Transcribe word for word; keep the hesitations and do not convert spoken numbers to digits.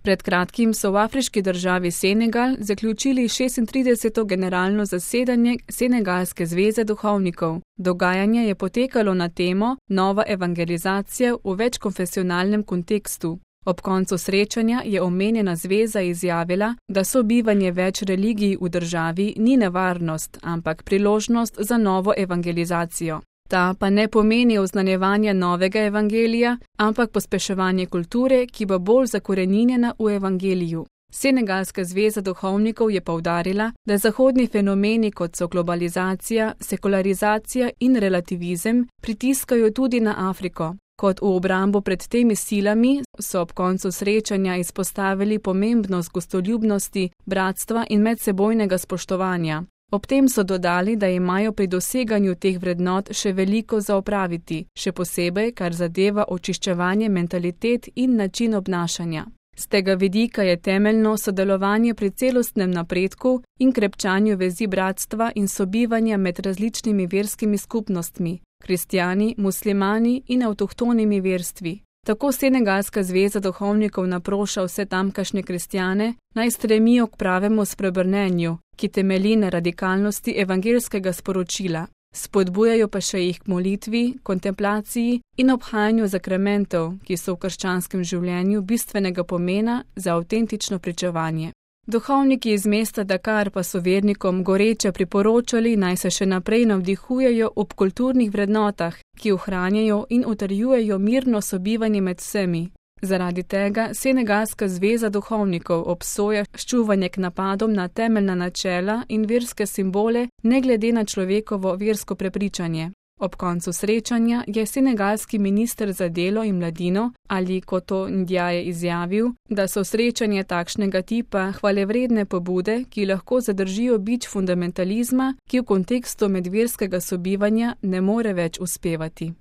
Pred kratkim so v afriški državi Senegal zaključili šestintrideseto generalno zasedanje Senegalske zveze duhovnikov. Dogajanje je potekalo na temo Nova evangelizacija v večkonfesionalnem kontekstu. Ob koncu srečanja je omenjena zveza izjavila, da sobivanje več religij v državi ni nevarnost, ampak priložnost za novo evangelizacijo. Ta pa ne pomeni oznanjevanja novega evangelija, ampak pospeševanje kulture, ki bo bolj zakoreninjena v evangeliju. Senegalska zveza duhovnikov je poudarila, da zahodni fenomeni kot so globalizacija, sekularizacija in relativizem pritiskajo tudi na Afriko. Kot v obrambo pred temi silami so ob koncu srečanja izpostavili pomembnost gostoljubnosti, bratstva in medsebojnega spoštovanja. Ob tem so dodali, da imajo pri doseganju teh vrednot še veliko za opraviti, še posebej, kar zadeva očiščevanje mentalitet in način obnašanja. Z tega vidika je temeljno sodelovanje pri celostnem napredku in krepčanju vezi bratstva in sobivanja med različnimi verskimi skupnostmi, kristjani, muslimani in avtohtonimi verstvi. Tako Senegalska zveza duhovnikov naproša vse tamkajšnje kristjane, naj stremijo k pravemu spreobrnenju, ki temelji na radikalnosti evangelskega sporočila. Spodbujajo pa še jih k molitvi, kontemplaciji in obhajanju zakramentov, ki so v krščanskem življenju bistvenega pomena za avtentično pričevanje. Duhovniki iz mesta Dakar pa so vernikom goreče priporočali, naj se še naprej navdihujejo ob kulturnih vrednotah, ki ohranjajo in utrjujejo mirno sobivanje med vsemi. Zaradi tega Senegalska zveza duhovnikov obsoja ščuvanje k napadom na temeljna načela in verske simbole, ne glede na človekovo versko prepričanje. Ob koncu srečanja je senegalski minister za delo in mladino Ali Koto Ndiaye izjavil, da so srečanje takšnega tipa hvalevredne pobude, ki lahko zadržijo bič fundamentalizma, ki v kontekstu medverskega sobivanja ne more več uspevati.